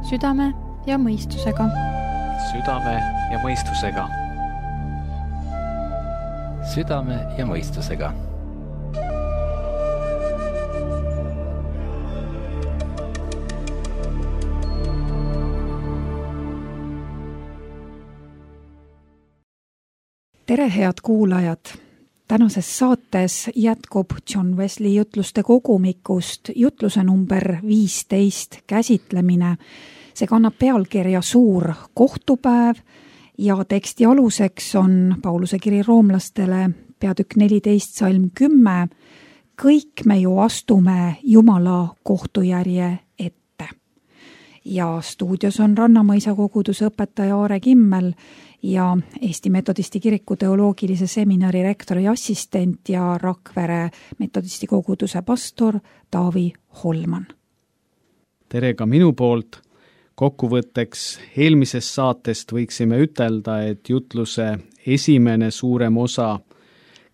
Südame ja mõistusega. Südame ja mõistusega. Südame ja mõistusega. Tere, head kuulajad! Tänases saates jätkub John Wesley jutluste kogumikust jutluse number 15 käsitlemine. See kannab pealkirja Suur kohtupäev ja teksti aluseks on Pauluse kiri roomlastele peatükk 14, salm 10. Kõik me ju astume Jumala kohtujärje ette. Ja stuudios on Rannamõisa koguduse õpetaja Aare Kimmel ja Eesti Metodisti kiriku teoloogilise seminari rektori assistent ja Rakvere Metodisti koguduse pastor Taavi Holman. Tere ka minu poolt. Kokkuvõtteks eelmisest saatest võiksime ütelda, et jutluse esimene suurem osa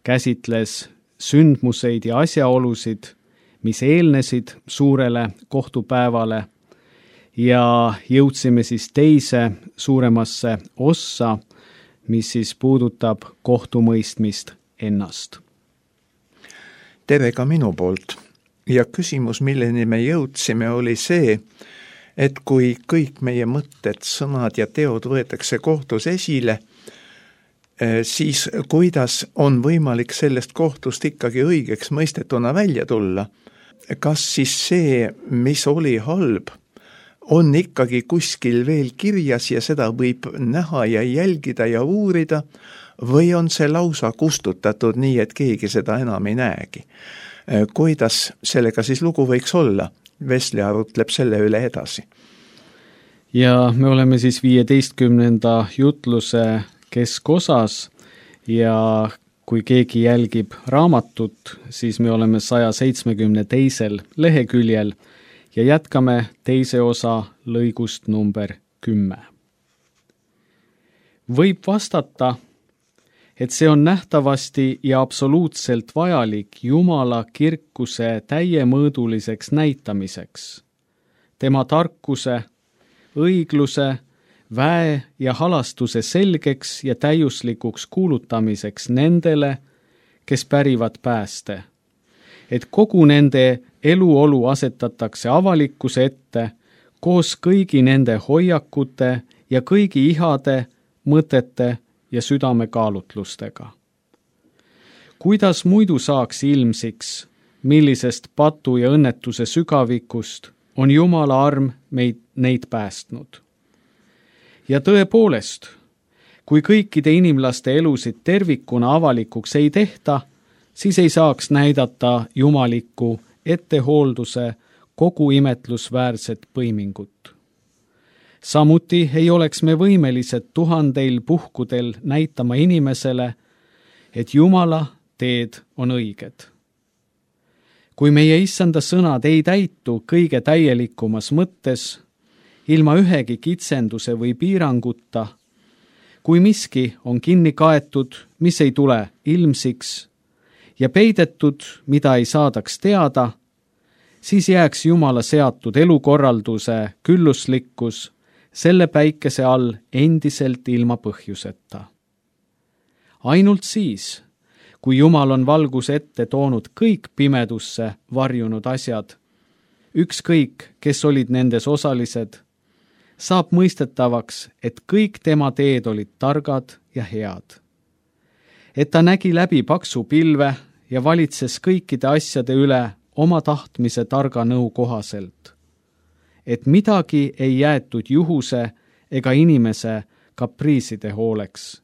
käsitles sündmuseid ja asjaolusid, mis eelnesid suurele kohtupäevale, ja jõudsime siis teise suuremasse ossa, mis siis puudutab kohtumõistmist ennast. Tere ka minu poolt. Ja küsimus, milleni me jõudsime, oli see, et kui kõik meie mõtted, sõnad ja teod võetakse kohtus esile, siis kuidas on võimalik sellest kohtust ikkagi õigeks mõistetuna välja tulla? Kas siis see, mis oli halb, on ikkagi kuskil veel kirjas ja seda võib näha ja jälgida ja uurida, või on see lausa kustutatud nii, et keegi seda enam ei näegi? Kuidas sellega siis lugu võiks olla? Wesley arutleb selle üle edasi. Ja me oleme siis 15. jutluse keskosas ja kui keegi jälgib raamatut, siis me oleme 172. leheküljel ja jätkame teise osa lõigust number 10. Võib vastata, et see on nähtavasti ja absoluutselt vajalik Jumala kirkuse täiemõõduliseks näitamiseks, tema tarkuse, õigluse, väe ja halastuse selgeks ja täiuslikuks kuulutamiseks nendele, kes pärivad pääste, et kogu nende eluolu asetatakse avalikkuse ette koos kõigi nende hoiakute ja kõigi ihade, mõtete ja südamekaalutlustega. Kuidas muidu saaks ilmsiks, millisest patu ja õnnetuse sügavikust on Jumala arm neid päästnud? Ja tõepoolest, kui kõikide inimlaste elusid tervikuna avalikuks ei tehta, siis ei saaks näidata jumalikku ettehoolduse kogu imetlusväärset põimingut. Samuti ei oleks me võimelised 1000 puhkudel näitama inimesele, et Jumala teed on õiged. Kui meie issanda sõnad ei täitu kõige täielikumas mõttes, ilma ühegi kitsenduse või piiranguta, kui miski on kinni kaetud, mis ei tule ilmsiks, ja peidetud, mida ei saadaks teada, siis jääks Jumala seatud elukorralduse külluslikkus selle päikese all endiselt ilma põhjuseta. Ainult siis, kui Jumal on valguse ette toonud kõik pimedusse varjunud asjad, ükskõik, kes olid nendes osalised, saab mõistetavaks, et kõik tema teed olid targad ja head. Et ta nägi läbi paksu pilve ja valitses kõikide asjade üle oma tahtmise targa nõu kohaselt. Et midagi ei jäetud juhuse ega inimese kapriiside hooleks,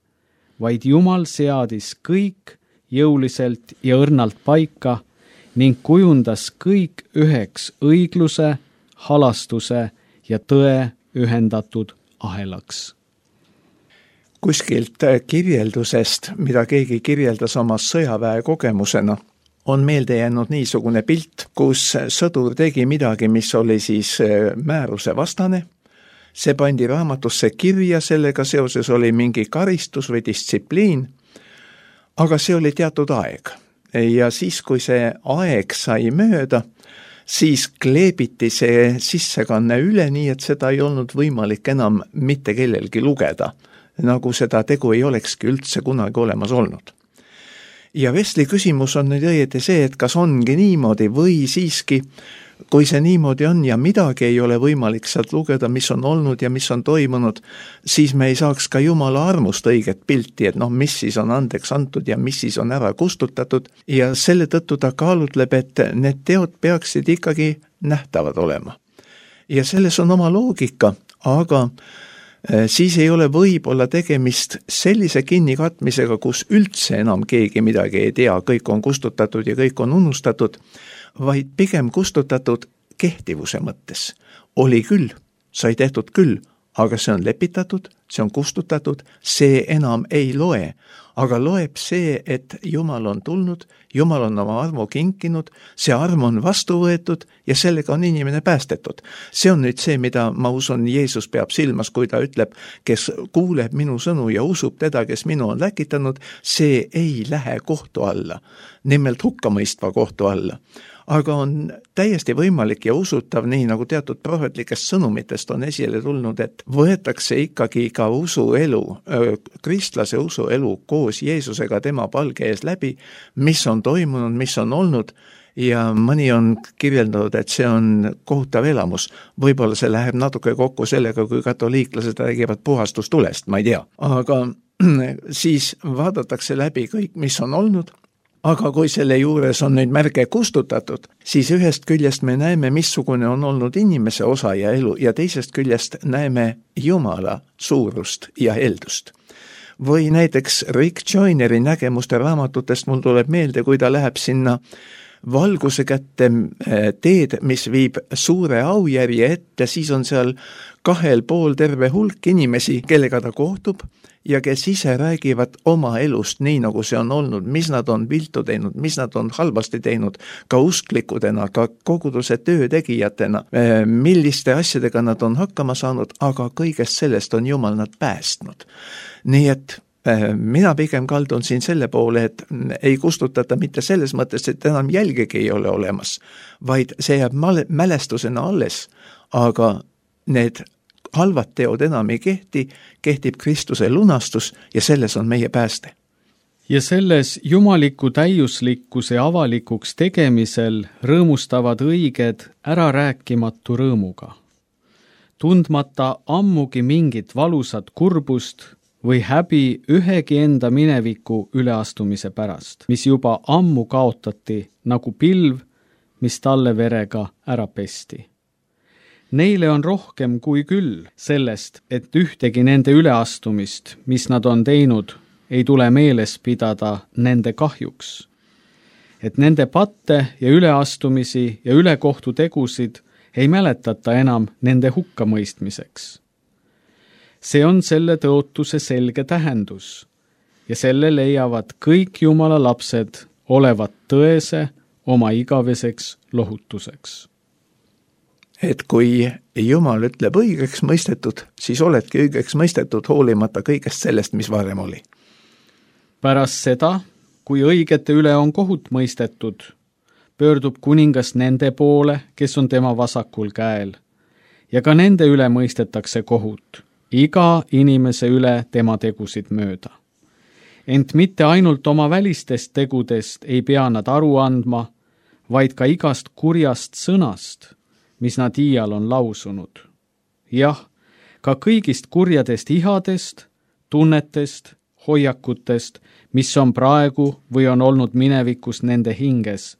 vaid Jumal seadis kõik jõuliselt ja õrnalt paika ning kujundas kõik üheks õigluse, halastuse ja tõe ühendatud ahelaks. Kuskilt kirjeldusest, mida keegi kirjeldas oma sõjaväe kogemusena, on meelde jäänud niisugune pilt, kus sõdur tegi midagi, mis oli siis määruse vastane. See pandi raamatusse kirja, sellega seoses oli mingi karistus või distsipliin, aga see oli teatud aeg. Ja siis, kui see aeg sai mööda, siis kleebiti see sissekanne üle nii, et seda ei olnud võimalik enam mitte kellelgi lugeda, nagu seda tegu ei olekski üldse kunagi olemas olnud. Ja Wesley küsimus on nüüd õieti see, et kas ongi niimoodi või siiski, kui see niimoodi on ja midagi ei ole võimalik sealt lugeda, mis on olnud ja mis on toimunud, siis me ei saaks ka Jumala armust õiget pilti, et mis siis on andeks antud ja mis siis on ära kustutatud ja selle tõttu ta kaalutleb, et need teod peaksid ikkagi nähtavad olema. Ja selles on oma loogika, aga siis ei ole võib-olla tegemist sellise kinnikatmisega, kus üldse enam keegi midagi ei tea, kõik on kustutatud ja kõik on unustatud, vaid pigem kustutatud kehtivuse mõttes. Oli küll, sai tehtud küll, aga see on lepitatud, see on kustutatud, see enam ei loe. Aga loeb see, et Jumal on tulnud, Jumal on oma armu kinkinud, see arm on vastu võetud ja sellega on inimene päästetud. See on nüüd see, mida ma usun, Jeesus peab silmas, kui ta ütleb, kes kuuleb minu sõnu ja usub teda, kes minu on läkitanud, see ei lähe kohtu alla, nimelt hukkamõistva kohtu alla. Aga on täiesti võimalik ja usutav, nii nagu teatud prohvetlikest sõnumitest on esile tulnud, et võetakse ikkagi ka usuelu, kristlase usuelu koos Jeesusega tema palge ees läbi, mis on toimunud, mis on olnud ja mõni on kirjeldanud, et see on kohutav elamus. Võib-olla see läheb natuke kokku sellega, kui katoliiklased räägivad puhastustulest, ma ei tea. Aga siis vaadatakse läbi kõik, mis on olnud. Aga kui selle juures on nüüd märge kustutatud, siis ühest küljest me näeme, missugune on olnud inimese osa ja elu ja teisest küljest näeme Jumala suurust ja heldust. Või näiteks Rick Joyneri nägemuste raamatutest mul tuleb meelde, kui ta läheb sinna valguse kätte teed, mis viib suure aujärje ette, siis on seal 2 pool terve hulk inimesi, kellega ta kohtub ja kes ise räägivad oma elust nii, nagu see on olnud, mis nad on viltu teinud, mis nad on halvasti teinud, ka usklikudena, ka koguduse töötegijatena, milliste asjadega nad on hakkama saanud, aga kõigest sellest on Jumal nad päästnud. Nii et mina pigem kaldun siin selle poole, et ei kustutata mitte selles mõttes, et enam jälgegi ei ole olemas, vaid see jääb mälestusena alles, aga need halvad teod enam ei kehti, kehtib Kristuse lunastus ja selles on meie pääste. Ja selles jumaliku täiuslikkuse avalikuks tegemisel rõõmustavad õiged ärarääkimatu rõõmuga. Tundmata ammugi mingit valusat kurbust või häbi ühegi enda mineviku üleastumise pärast, mis juba ammu kaotati nagu pilv, mis talle verega ära pesti. Neile on rohkem kui küll sellest, et ühtegi nende üleastumist, mis nad on teinud, ei tule meeles pidada nende kahjuks. Et nende patte ja üleastumisi ja ülekohtu tegusid ei mäletata enam nende hukkamõistmiseks. See on selle tõotuse selge tähendus ja selle leiavad kõik Jumala lapsed olevat tõese oma igaveseks lohutuseks. Et kui Jumal ütleb õigeks mõistetud, siis oledki õigeks mõistetud hoolimata kõigest sellest, mis varem oli. Pärast seda, kui õigete üle on kohut mõistetud, pöördub kuningas nende poole, kes on tema vasakul käel, ja ka nende üle mõistetakse kohut, iga inimese üle tema tegusid mööda. Ent mitte ainult oma välistest tegudest ei pea nad aru andma, vaid ka igast kurjast sõnast, mis nad iial on lausunud. Jah, ka kõigist kurjadest ihadest, tunnetest, hoiakutest, mis on praegu või on olnud minevikus nende hinges,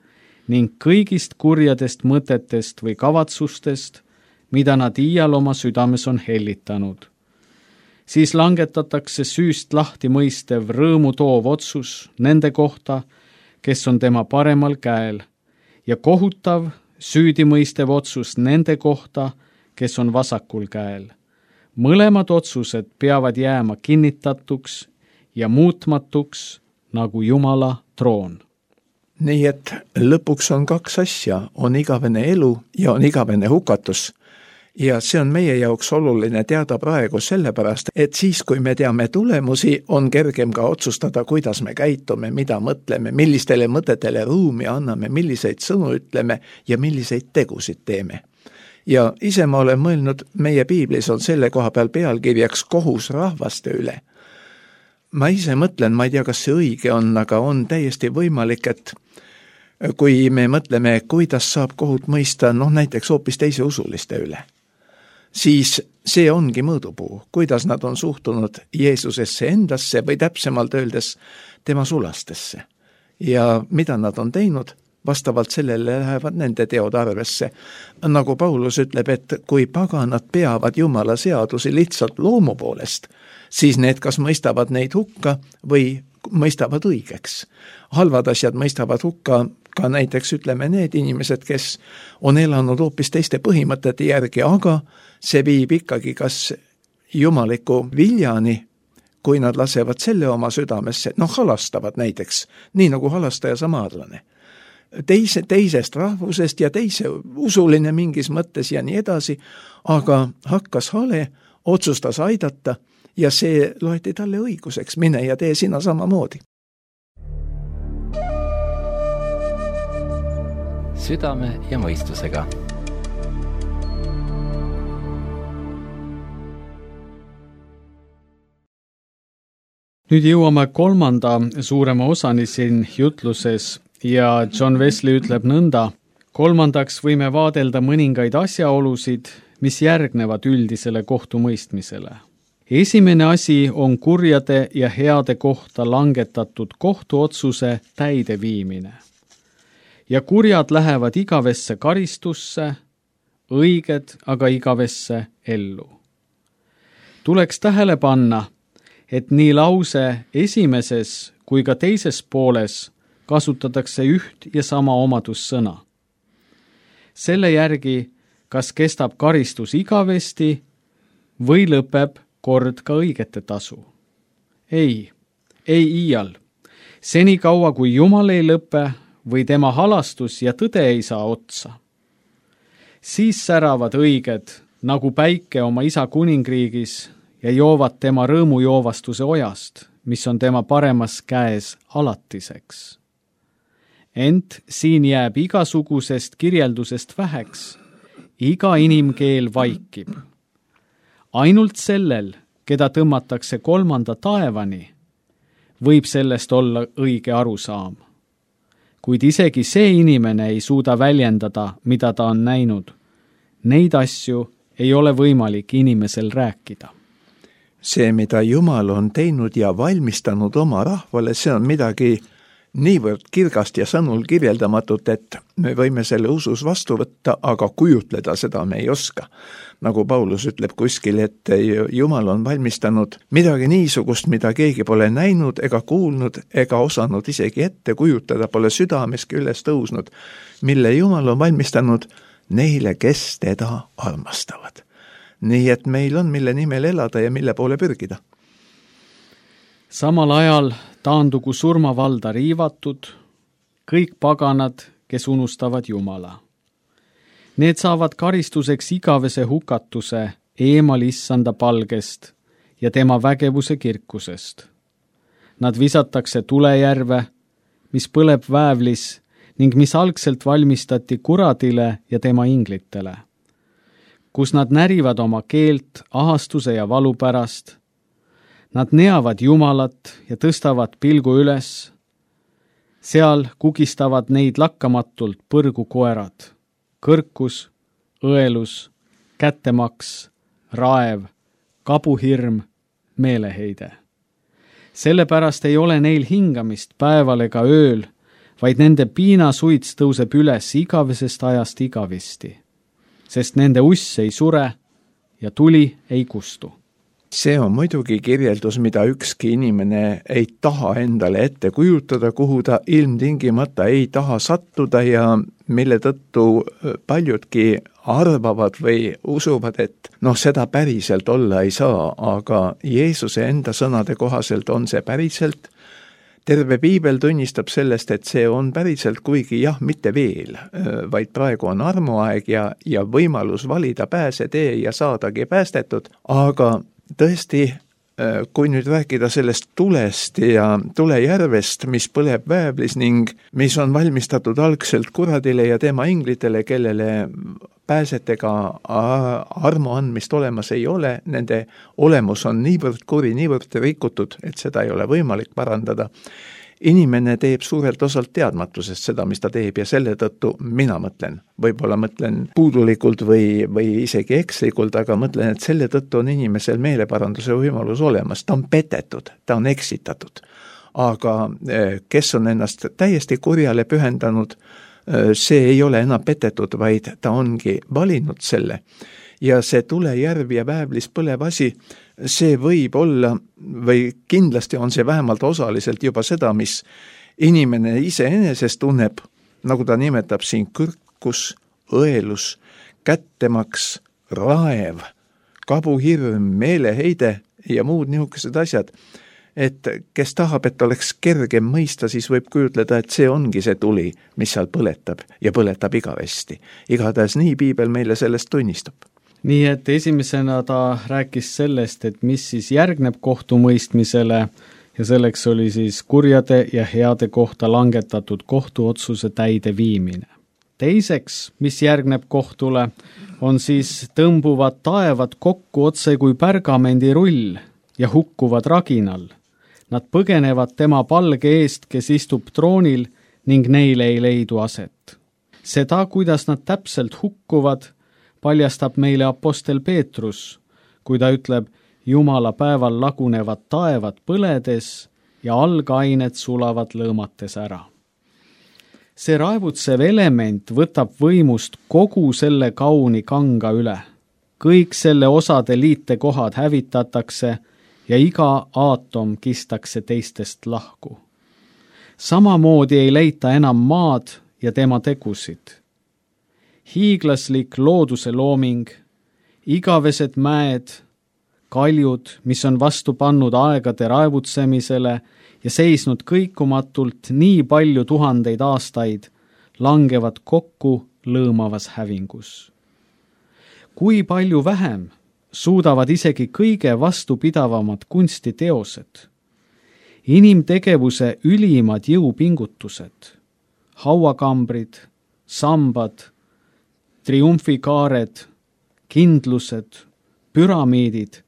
ning kõigist kurjadest mõtetest või kavatsustest, mida nad iial oma südames on hellitanud. Siis langetatakse süüst lahti mõistev rõõmu toov otsus nende kohta, kes on tema paremal käel, ja kohutav süüdimõistev otsus nende kohta, kes on vasakul käel. Mõlemad otsused peavad jääma kinnitatuks ja muutmatuks nagu Jumala troon. Nii et lõpuks on 2 asja, on igavene elu ja on igavene hukatus. Ja see on meie jaoks oluline teada praegu sellepärast, et siis, kui me teame tulemusi, on kergem ka otsustada, kuidas me käitume, mida mõtleme, millistele mõtetele ruumi anname, milliseid sõnu ütleme ja milliseid tegusid teeme. Ja ise ma olen mõelnud, meie piiblis on selle koha peal pealkirjaks kohus rahvaste üle. Ma ise mõtlen, ma ei tea, kas see õige on, aga on täiesti võimalik, et kui me mõtleme, kuidas saab kohut mõista, näiteks hoopis teise usuliste üle, siis see ongi mõõdupuu, kuidas nad on suhtunud Jeesusesse endasse või täpsemalt öeldes tema sulastesse. Ja mida nad on teinud, vastavalt sellele lähevad nende teod arvesse. Nagu Paulus ütleb, et kui paganad peavad Jumala seadusi lihtsalt loomu poolest, siis need kas mõistavad neid hukka või mõistavad õigeks. Halvad asjad mõistavad hukka ka näiteks ütleme need inimesed, kes on elanud hoopis teiste põhimõtete järgi, aga see viib ikkagi kas jumaliku viljani, kui nad lasevad selle oma südamesse, halastavad näiteks, nii nagu halastaja samaarlane. Teisest rahvusest ja teise usuline mingis mõttes ja nii edasi, aga hakkas hale, otsustas aidata ja see loeti talle õiguseks, mine ja tee sina samamoodi. Südame ja mõistusega. Nüüd jõuame 3. suurema osani siin jutluses ja John Wesley ütleb nõnda: 3. võime vaadelda mõningaid asjaolusid, mis järgnevad üldisele kohtumõistmisele. Esimene asi on kurjade ja heade kohta langetatud kohtuotsuse täideviimine. Ja kurjad lähevad igavesse karistusse, õiged aga igavesse ellu. Tuleks tähele panna, et nii lause esimeses kui ka teises pooles kasutatakse üht ja sama omadussõna. Selle järgi, kas kestab karistus igavesti või lõpeb kord ka õigete tasu. Ei iial. Senikaua, kui Jumal ei lõpe või tema halastus ja tõde ei saa otsa. Siis säravad õiged nagu päike oma isa kuningriigis ja joovad tema rõõmujoovastuse ojast, mis on tema paremas käes alatiseks. Ent siin jääb igasugusest kirjeldusest väheks, iga inimkeel vaikib. Ainult sellel, keda tõmmatakse 3. taevani, võib sellest olla õige arusaam. Kuid isegi see inimene ei suuda väljendada, mida ta on näinud. Neid asju ei ole võimalik inimesel rääkida. See, mida Jumal on teinud ja valmistanud oma rahvale, see on midagi niivõrd kirgast ja sõnul kirjeldamatut, et me võime selle usus vastu võtta, aga kujutleda seda me ei oska. Nagu Paulus ütleb kuskil, et Jumal on valmistanud midagi niisugust, mida keegi pole näinud ega kuulnud ega osanud isegi ette kujutada, pole südameski üles tõusnud, mille Jumal on valmistanud neile, kes teda armastavad. Nii et meil on, mille nimel elada ja mille poole pürgida. Samal ajal taandugu surmavalda riivatud, kõik paganad, kes unustavad Jumala. Need saavad karistuseks igavese hukatuse eemal issanda palgest ja tema vägevuse kirkusest. Nad visatakse tulejärve, mis põleb väävlis ning mis algselt valmistati kuradile ja tema inglitele, kus nad närivad oma keelt ahastuse ja valu pärast. Nad neavad Jumalat ja tõstavad pilgu üles. Seal kugistavad neid lakkamatult põrgukoerad, kõrkus, õelus, kättemaks, raev, kabuhirm, meeleheide. Sellepärast ei ole neil hingamist päeval ega ööl, vaid nende piinasuits tõuseb üles igavesest ajast igavisti, sest nende uss ei sure ja tuli ei kustu. See on muidugi kirjeldus, mida ükski inimene ei taha endale ette kujutada, kuhu ta ilmtingimata ei taha sattuda ja mille tõttu paljudki arvavad või usuvad, et seda päriselt olla ei saa, aga Jeesuse enda sõnade kohaselt on see päriselt. terve piibel tunnistab sellest, et see on päriselt, kuigi jah, mitte veel, vaid praegu on armuaeg ja võimalus valida pääsetee ja saadagi päästetud, aga tõesti, kui nüüd rääkida sellest tulest ja tulejärvest, mis põleb väävlis ning mis on valmistatud algselt kuradile ja tema inglitele, kellele pääsetega armu andmist olemas ei ole, nende olemus on niivõrd kuri, niivõrd rikutud, et seda ei ole võimalik parandada. Inimene teeb suurelt osalt teadmatusest seda, mis ta teeb ja selle tõttu mina mõtlen, võib-olla mõtlen puudulikult või isegi ekslikult, aga mõtlen, et selle tõttu on inimesel meeleparanduse võimalus olemas, ta on petetud, ta on eksitatud. Aga kes on ennast täiesti kurjale pühendanud, see ei ole enam petetud, vaid ta ongi valinud selle. Ja see tulejärv ja väävlis põlev asi, see võib olla või kindlasti on see vähemalt osaliselt juba seda, mis inimene iseenesest tunneb, nagu ta nimetab siin kõrkus, õelus, kättemaks, raev, kabuhirm, meeleheide ja muud niisugused asjad. Et kes tahab, et oleks kergem mõista, siis võib kujutleda, et see ongi see tuli, mis seal põletab ja põletab igavesti. Igatahes nii piibel meile sellest tunnistab. Nii et esimesena ta rääkis sellest, et mis siis järgneb kohtumõistmisele ja selleks oli siis kurjade ja heade kohta langetatud kohtuotsuse täide viimine. Teiseks, mis järgneb kohtule, on siis tõmbuvad taevad kokku otse kui pärgamendirull ja hukkuvad raginal. Nad põgenevad tema palge eest, kes istub troonil ning neile ei leidu aset. Seda, kuidas nad täpselt hukkuvad, paljastab meile apostel Peetrus, kui ta ütleb, Jumala päeval lagunevad taevad põledes ja algained sulavad lõõmates ära. See raevutsev element võtab võimust kogu selle kauni kanga üle. Kõik selle osade liitekohad hävitatakse ja iga aatom kistakse teistest lahku. Samamoodi ei leita enam maad ja tema tegusid. Hiiglaslik looduse looming, igavesed mäed, kaljud, mis on vastu pannud aegade raevutsemisele ja seisnud kõikumatult nii palju tuhandeid aastaid, langevad kokku lõõmavas hävingus. Kui palju vähem suudavad isegi kõige vastupidavamad kunstiteosed, inimtegevuse ülimad jõupingutused, hauakambrid, sambad, triumfikaared, kindlused, püramiidid,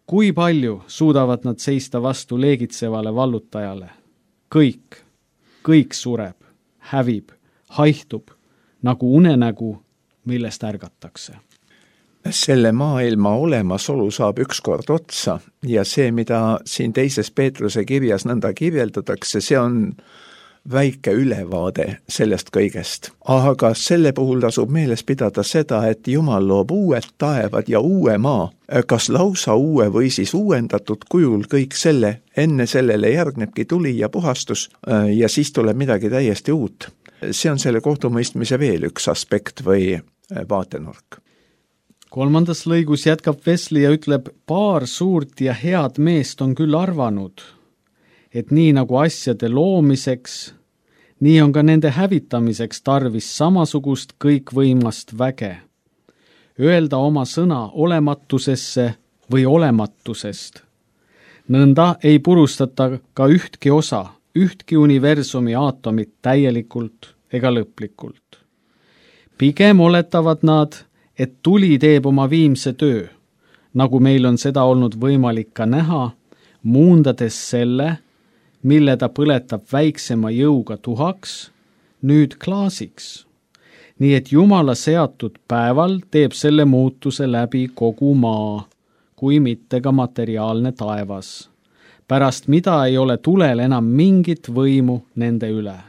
kui palju suudavad nad seista vastu leegitsevale vallutajale? Kõik sureb, hävib, haihtub, nagu unenägu, millest ärgatakse. Selle maailma olemasolu saab ükskord otsa ja see, mida siin teises Peetruse kirjas nõnda kirjeldatakse, see on väike ülevaade sellest kõigest. Aga selle puhul tasub meeles pidada seda, et Jumal loob uued taevad ja uue maa, kas lausa uue või siis uuendatud kujul kõik selle, enne sellele järgnebki tuli ja puhastus ja siis tuleb midagi täiesti uut. See on selle kohtumõistmise veel üks aspekt või vaatenurk. 3. lõigus jätkab Wesley ja ütleb, paar suurt ja head meest on küll arvanud, et nii nagu asjade loomiseks, nii on ka nende hävitamiseks tarvis samasugust kõikvõimast väge. Öelda oma sõna olematusesse või olematusest. Nõnda ei purustata ka ühtki osa, ühtki universumi aatomit täielikult ega lõplikult. Pigem oletavad nad, et tuli teeb oma viimse töö, nagu meil on seda olnud võimalik ka näha, muundades selle, mille ta põletab väiksema jõuga tuhaks, nüüd klaasiks. Nii et Jumala seatud päeval teeb selle muutuse läbi kogu maa, kui mitte ka materiaalne taevas, pärast mida ei ole tulel enam mingit võimu nende üle.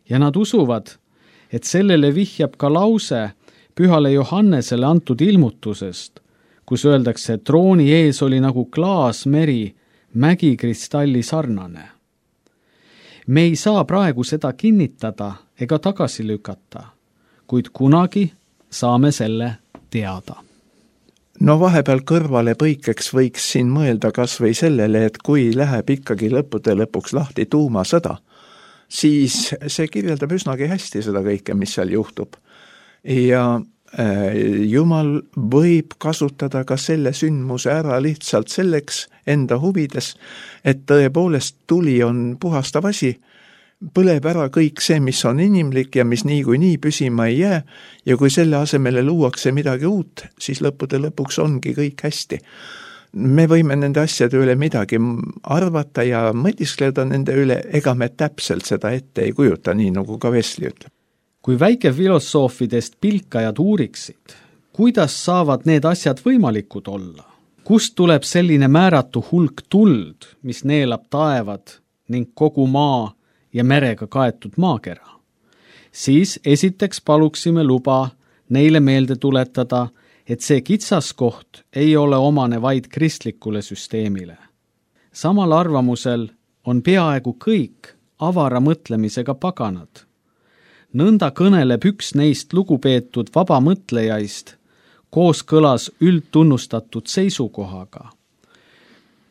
Ja nad usuvad, et sellele vihjab ka lause Pühale Johannesele antud ilmutusest, kus öeldakse, et trooni ees oli nagu klaasmeri, mägikristalli sarnane. Me ei saa praegu seda kinnitada ega tagasi lükata, kuid kunagi saame selle teada. no vahepeal kõrvale põikeks võiks siin mõelda kas või sellele, et kui läheb ikkagi lõppude lõpuks lahti tuumasõda, siis see kirjeldab üsnagi hästi seda kõike, mis seal juhtub. Ja Jumal võib kasutada ka selle sündmuse ära lihtsalt selleks enda huvides, et tõepoolest tuli on puhastav asi, põleb ära kõik see, mis on inimlik ja mis niikuinii püsima ei jää, ja kui selle asemele luuakse midagi uut, siis lõppude lõpuks ongi kõik hästi. Me võime nende asjade üle midagi arvata ja mõtiskleda nende üle, ega me täpselt seda ette ei kujuta, nii nagu ka Wesley ütleb. Kui väikefilosoofidest pilkajad uuriksid, kuidas saavad need asjad võimalikud olla? Kust tuleb selline määratu hulk tuld, mis neelab taevad ning kogu maa ja merega kaetud maakera? Siis esiteks paluksime luba neile meelde tuletada, et see kitsaskoht ei ole omane vaid kristlikule süsteemile. Samal arvamusel on peaaegu kõik avara mõtlemisega paganad. Nõnda kõneleb üks neist lugupeetud vabamõtlejaist kooskõlas üldtunnustatud seisukohaga.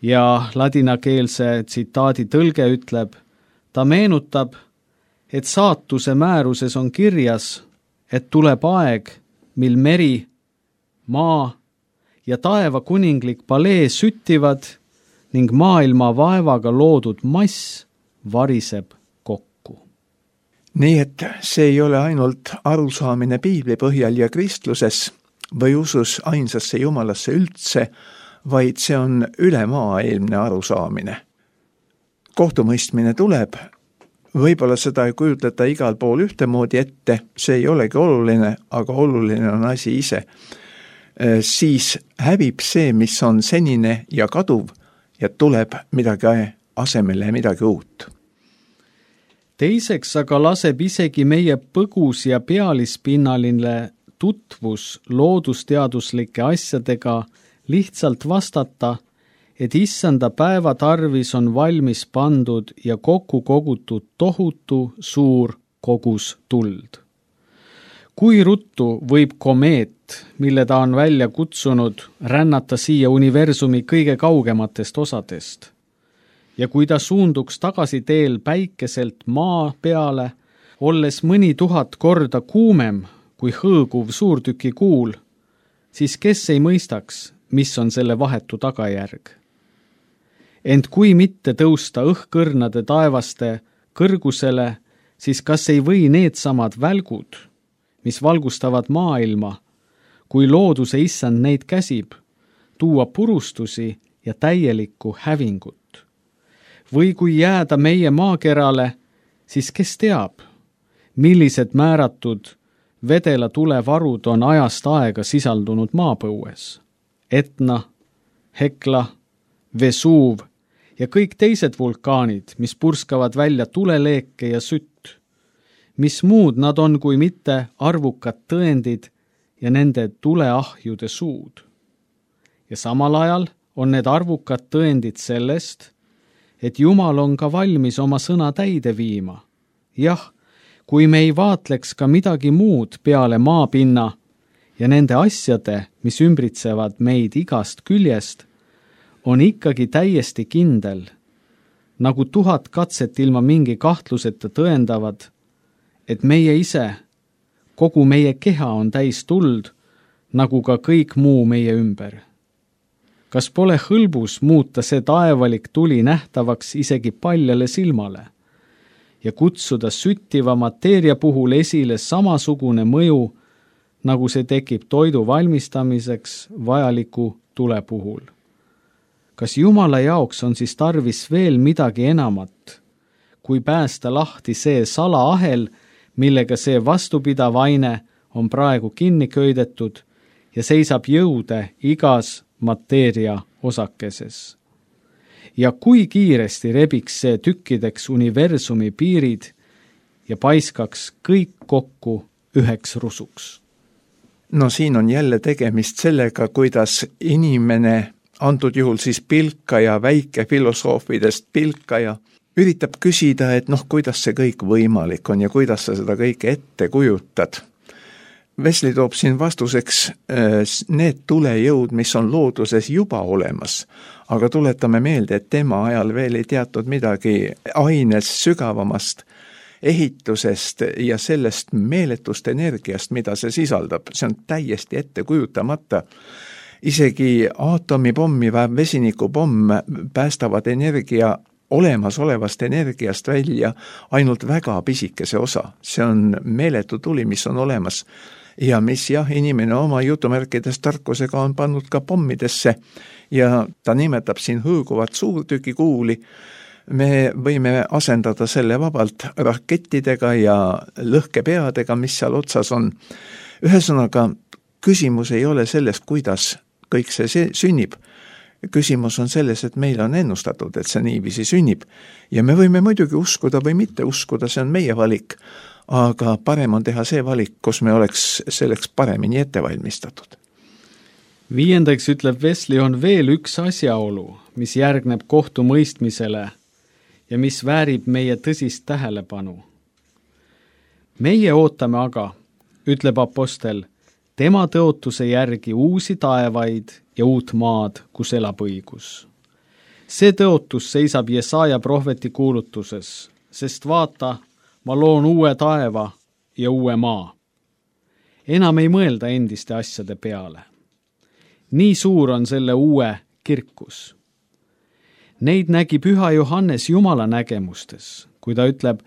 Ja ladinakeelse tsitaadi tõlge ütleb, ta meenutab, et saatuse määruses on kirjas, et tuleb aeg, mil meri, maa ja taeva kuninglik palee süttivad ning maailma vaevaga loodud mass variseb kokku. Nii et see ei ole ainult arusaamine piibli põhjal ja kristluses või usus ainsasse Jumalasse üldse, vaid see on ülemaailmne arusaamine. Kohtumõistmine tuleb, võib-olla seda ei kujutleta igal pool ühtemoodi ette, see ei olegi oluline, aga oluline on asi ise. Siis hävib see, mis on senine ja kaduv ja tuleb midagi asemele ja midagi uut. Teiseks aga laseb isegi meie põgus ja pealispinnaline tutvus loodusteaduslike asjadega lihtsalt vastata, et issanda päeva tarvis on valmis pandud ja kokku kogutud tohutu suur kogus tuld. Kui ruttu võib komeet, mille ta on välja kutsunud, rännata siia universumi kõige kaugematest osadest? Ja kui ta suunduks tagasi teel päikeselt maa peale, olles mõni 1000 korda kuumem kui hõõguv suurtüki kuul, siis kes ei mõistaks, mis on selle vahetu tagajärg? Ent kui mitte tõusta õhkõrnade taevaste kõrgusele, siis kas ei või needsamad välgud, mis valgustavad maailma, kui looduse issand neid käsib, tuua purustusi ja täielikku hävingut? Või kui jääda meie maakerale, siis kes teab, millised määratud vedela tulevarud on ajast aega sisaldunud maapõues? Etna, Hekla, Vesuv ja kõik teised vulkaanid, mis purskavad välja tuleleeke ja sütt. Mis muud nad on kui mitte arvukad tõendid ja nende tuleahjude suud? Ja samal ajal on need arvukad tõendid sellest, et Jumal on ka valmis oma sõna täide viima. Jah, kui me ei vaatleks ka midagi muud peale maapinna ja nende asjade, mis ümbritsevad meid igast küljest, on ikkagi täiesti kindel, nagu 1000 katset ilma mingi kahtluseta tõendavad, et meie ise, kogu meie keha on täis tuld, nagu ka kõik muu meie ümber. Kas pole hõlbus muuta see taevalik tuli nähtavaks isegi paljale silmale ja kutsuda süttiva mateeria puhul esile samasugune mõju, nagu see tekib toidu valmistamiseks vajaliku tule puhul? Kas Jumala jaoks on siis tarvis veel midagi enamat, kui päästa lahti see salaahel, millega see vastupidav aine on praegu kinni köidetud ja seisab jõude igas mateeria osakeses? Ja kui kiiresti rebiks see tükkideks universumi piirid ja paiskaks kõik kokku üheks rusuks? No siin on jälle tegemist sellega, kuidas inimene, antud juhul siis pilkaja, väike filosoofidest pilkaja, üritab küsida, et kuidas see kõik võimalik on ja kuidas sa seda kõike ette kujutad. Wesley toob siin vastuseks need tulejõud, mis on looduses juba olemas, aga tuletame meelde, et tema ajal veel ei teatud midagi aines sügavamast ehitusest ja sellest meeletust energiast, mida see sisaldab. See on täiesti ettekujutamata. Isegi aatomipommi või vesinikupomm päästavad energia olemasolevast energiast välja ainult väga pisikese osa. See on meeletu tuli, mis on olemas ja mis inimene oma jutumärkides tarkusega on pannud ka pommidesse ja ta nimetab siin hõõguvat suurtükikuuli. Me võime asendada selle vabalt rakettidega ja lõhkepeadega, mis seal otsas on. Ühesõnaga, küsimus ei ole selles, kuidas kõik see sünnib. Küsimus on selles, et meil on ennustatud, et see niiviisi sünnib. Ja me võime muidugi uskuda või mitte uskuda, see on meie valik. Aga parem on teha see valik, kus me oleks selleks paremini ette valmistatud. 5. ütleb Wesley, on veel üks asjaolu, mis järgneb kohtumõistmisele ja mis väärib meie tõsist tähelepanu. Meie ootame aga, ütleb apostel, tema tõotuse järgi uusi taevaid ja uut maad, kus elab õigus. See tõotus seisab Jesaja prohveti kuulutuses, sest vaata, ma loon uue taeva ja uue maa. Enam ei mõelda endiste asjade peale. Nii suur on selle uue kirkus. Neid nägi Püha Johannes Jumala nägemustes, kui ta ütleb,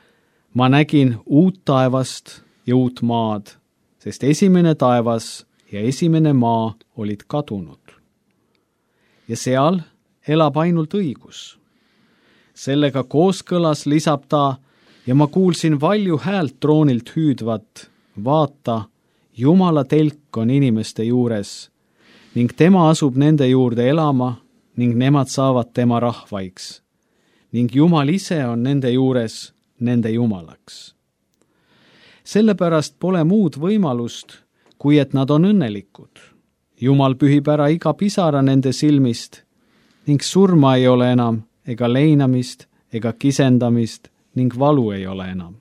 ma nägin uut taevast ja uut maad, sest esimene taevas ja esimene maa olid kadunud. Ja seal elab ainult õigus. Sellega kooskõlas lisab ta, ja ma kuulsin valju häält troonilt hüüdvat, vaata, Jumala telk on inimeste juures ning tema asub nende juurde elama ning nemad saavad tema rahvaiks ning Jumal ise on nende juures nende Jumalaks. Sellepärast pole muud võimalust, kui et nad on õnnelikud. Jumal pühib ära iga pisara nende silmist ning surma ei ole enam ega leinamist ega kisendamist ning valu ei ole enam.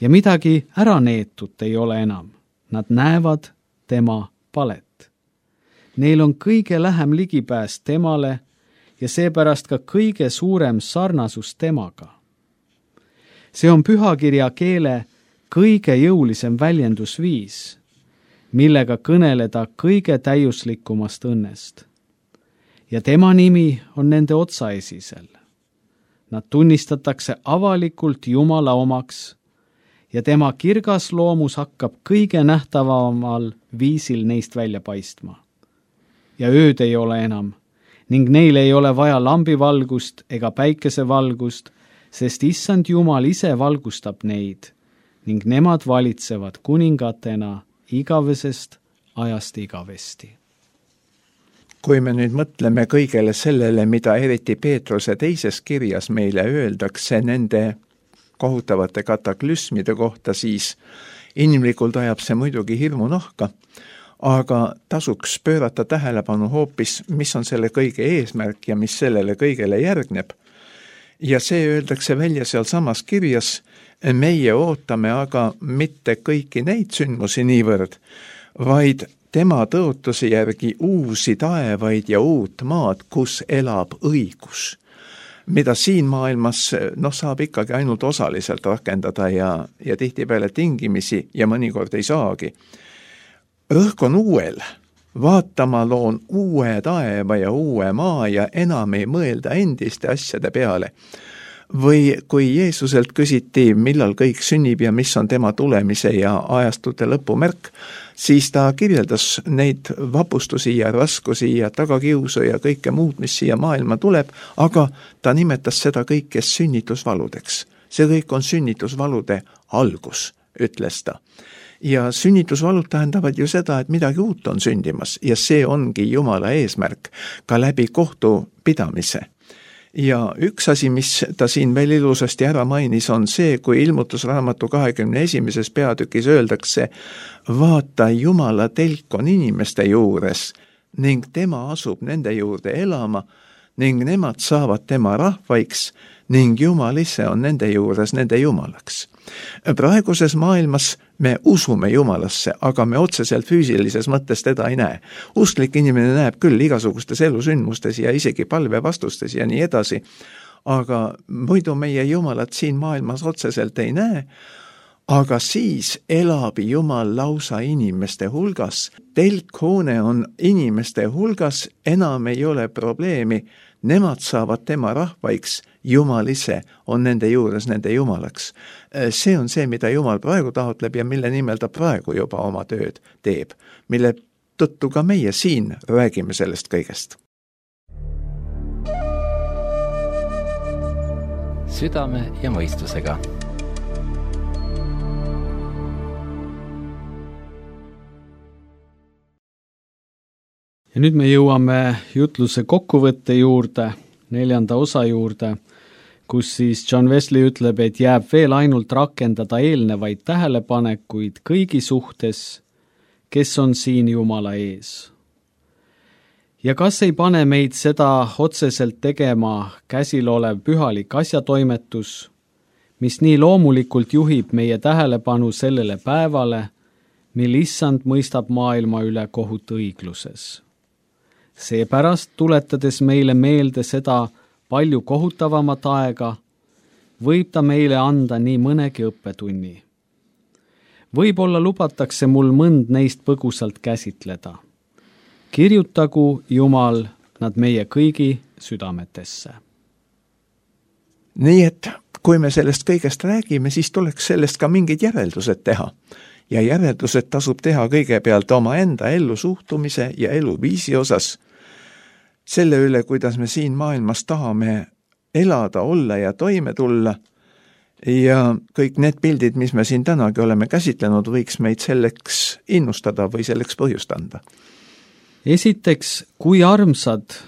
Ja midagi ära neetut ei ole enam. Nad näevad tema palet. Neil on kõige lähem ligipääs temale ja seepärast ka kõige suurem sarnasus temaga. See on pühakirja keele kõige jõulisem väljendusviis, millega kõneleda kõige täiuslikumast õnnest. Ja tema nimi on nende otsaesisel. Nad tunnistatakse avalikult Jumala omaks ja tema kirgas loomus hakkab kõige nähtavamal viisil neist välja paistma. Ja ööd ei ole enam ning neil ei ole vaja lambivalgust ega päikesevalgust, sest issand Jumal ise valgustab neid ning nemad valitsevad kuningatena igavesest ajast igavesti. Kui me nüüd mõtleme kõigele sellele, mida eriti Peetruse teises kirjas meile öeldakse nende kohutavate kataklüsmide kohta, siis inimlikult ajab see muidugi hirmu nahka, aga tasuks pöörata tähelepanu hoopis, mis on selle kõige eesmärk ja mis sellele kõigele järgneb. Ja see öeldakse välja seal samas kirjas, meie ootame aga mitte kõiki neid sündmusi niivõrd, vaid tema tõotuse järgi uusi taevaid ja uut maad, kus elab õigus, mida siin maailmas saab ikkagi ainult osaliselt rakendada ja tihtipeale tingimisi ja mõnikord ei saagi. Rõhk on uuel, vaatama loon uue taeva ja uue maa ja enam ei mõelda endiste asjade peale. Või kui Jeesuselt küsiti, millal kõik sünnib ja mis on tema tulemise ja ajastute lõpumärk, siis ta kirjeldas neid vapustusi ja raskusi ja tagakiusu ja kõike muud, mis siia maailma tuleb, aga ta nimetas seda kõike sünnitusvaludeks. See kõik on sünnitusvalude algus, ütles ta. Ja sünnitusvalud tähendavad ju seda, et midagi uut on sündimas ja see ongi Jumala eesmärk ka läbi kohtupidamise. Ja üks asi, mis ta siin veel ilusasti ära mainis, on see, kui Ilmutusraamatu 21. peatükis öeldakse, vaata, Jumala telk on inimeste juures ning tema asub nende juurde elama ning nemad saavad tema rahvaiks ning Jumal ise on nende juures nende Jumalaks. Praeguses maailmas me usume Jumalasse, aga me otseselt füüsilises mõttes teda ei näe. Usklik inimene näeb küll igasugustes elusündmustes ja isegi palvevastustes ja nii edasi, aga muidu meie Jumalat siin maailmas otseselt ei näe, aga siis elab Jumal lausa inimeste hulgas. Telkhoone on inimeste hulgas, enam ei ole probleemi, nemad saavad tema rahvaiks, Jumal ise on nende juures nende Jumalaks. See on see, mida Jumal praegu taotleb ja mille nimel ta praegu juba oma tööd teeb, mille tõttu ka meie siin räägime sellest kõigest. Südame ja mõistusega. Ja nüüd me jõuame jutluse kokkuvõtte juurde, 4. osa juurde, kus siis John Wesley ütleb, et jääb veel ainult rakendada eelnevaid tähelepanekuid kõigi suhtes, kes on siin Jumala ees. Ja kas ei pane meid seda otseselt tegema käsil olev pühalik asjatoimetus, mis nii loomulikult juhib meie tähelepanu sellele päevale, mil Issand mõistab maailma üle kohut õigluses. Seepärast, tuletades meile meelde seda palju kohutavamat aega, võib ta meile anda nii mõnegi õppetunni. Võib-olla lubatakse mul mõnd neist põgusalt käsitleda. Kirjutagu Jumal nad meie kõigi südametesse. Nii et kui me sellest kõigest räägime, siis tuleks sellest ka mingid järeldused teha. Ja järeldused tasub teha kõigepealt oma enda ellu suhtumise ja eluviisi osas. Selle üle, kuidas me siin maailmas tahame elada, olla ja toime tulla. Ja kõik need pildid, mis me siin tänagi oleme käsitlenud, võiks meid selleks innustada või selleks põhjust anda. Esiteks, kui armsad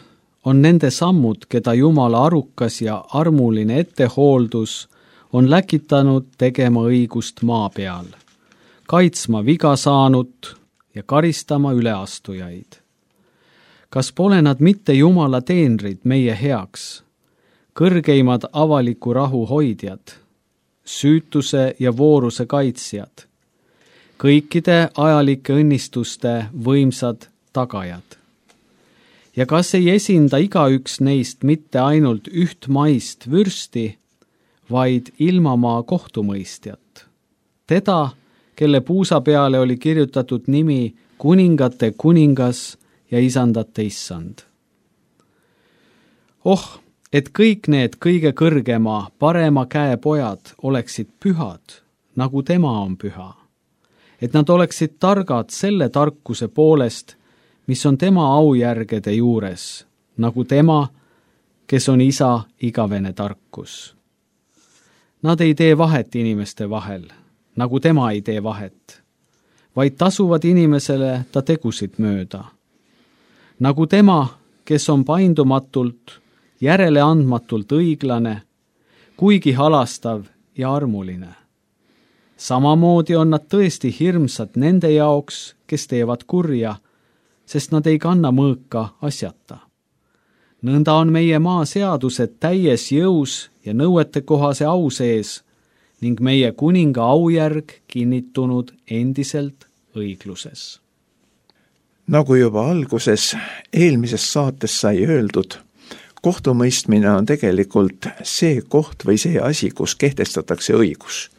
on nende sammud, keda Jumala arukas ja armuline ettehooldus on läkitanud tegema õigust maa peal, kaitsma viga saanut ja karistama üleastujaid. Kas pole nad mitte Jumala teenrid meie heaks, kõrgeimad avaliku rahu hoidjad, süütuse ja vooruse kaitsjad, kõikide ajalike õnnistuste võimsad tagajad? Ja kas ei esinda igaüks neist mitte ainult üht maist vürsti, vaid ilmamaa kohtumõistjat? Teda, kelle puusa peale oli kirjutatud nimi kuningate kuningas ja isandate issand. Et kõik need kõige kõrgema, parema käe pojad oleksid pühad, nagu tema on püha. Et nad oleksid targad selle tarkuse poolest, mis on tema aujärgede juures, nagu tema, kes on isa igavene tarkus. Nad ei tee vahet inimeste vahel, nagu tema ei tee vahet, vaid tasuvad inimesele ta tegusid mööda. Nagu tema, kes on paindumatult, järeleandmatult õiglane, kuigi halastav ja armuline. Samamoodi on nad tõesti hirmsad nende jaoks, kes teevad kurja, sest nad ei kanna mõõka asjata. Nõnda on meie maa seadused täies jõus ja nõuetekohase au sees ning meie kuninga aujärg kinnitunud endiselt õigluses. Nagu juba alguses eelmises saates sai öeldud, kohtumõistmine on tegelikult see koht või see asi, kus kehtestatakse õigus.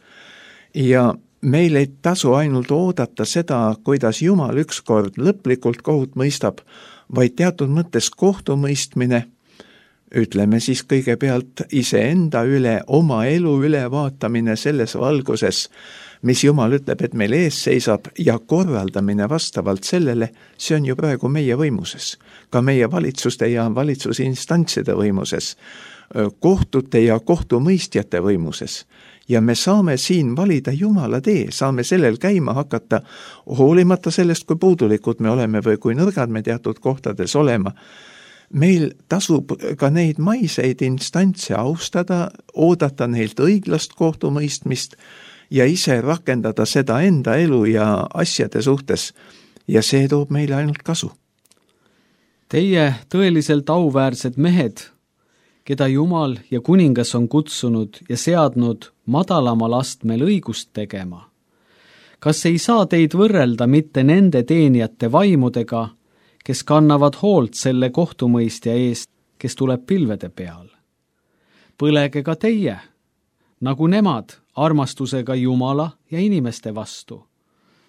Ja meil ei tasu ainult oodata seda, kuidas Jumal ükskord lõplikult kohut mõistab, vaid teatud mõttes kohtumõistmine, ütleme siis kõigepealt iseenda üle, oma elu ülevaatamine selles valguses, mis Jumal ütleb, et meil ees seisab ja korraldamine vastavalt sellele, see on ju praegu meie võimuses, ka meie valitsuste ja valitsusinstantside võimuses, kohtute ja kohtumõistjate võimuses. Ja me saame siin valida Jumala tee, saame sellel käima hakata, hoolimata sellest, kui puudulikud me oleme või kui nõrgad me teatud kohtades olema. Meil tasub ka neid maiseid instantse austada, oodata neilt õiglast kohtumõistmist ja ise rakendada seda enda elu ja asjade suhtes. Ja see toob meile ainult kasu. Teie tõeliselt auväärsed mehed, keda Jumal ja kuningas on kutsunud ja seadnud madalamal astmel õigust tegema. Kas ei saa teid võrrelda mitte nende teenijate vaimudega, kes kannavad hoolt selle kohtumõistja eest, kes tuleb pilvede peal? Põlege ka teie, nagu nemad, armastusega Jumala ja inimeste vastu.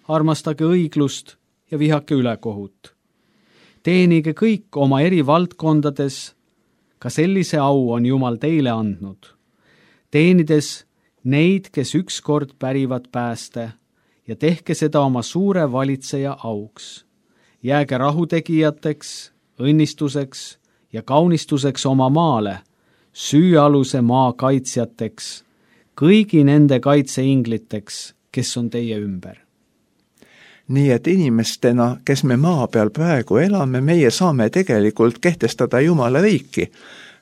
Armastage õiglust ja vihake ülekohut. Teenige kõik oma eri valdkondades, ka sellise au on Jumal teile andnud. Teenides neid, kes ükskord pärivad pääste, ja tehke seda oma suure valitseja auks. Jääge rahutegijateks, õnnistuseks ja kaunistuseks oma maale, süüaluse maa kaitsjateks, kõigi nende kaitseingliteks, kes on teie ümber. Nii et inimestena, kes me maa peal praegu elame, meie saame tegelikult kehtestada Jumala riiki.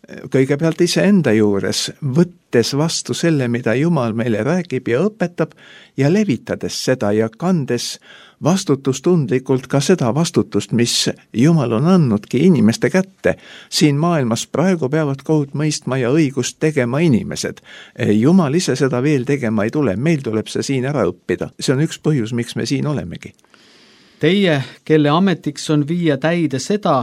Kõigepealt iseenda juures, võttes vastu selle, mida Jumal meile räägib ja õpetab ja levitades seda ja kandes vastutustundlikult ka seda vastutust, mis Jumal on andnudki inimeste kätte. Siin maailmas praegu peavad kohut mõistma ja õigust tegema inimesed. Jumal ise seda veel tegema ei tule, meil tuleb see siin ära õppida. See on üks põhjus, miks me siin olemegi. Teie, kelle ametiks on viia täide seda,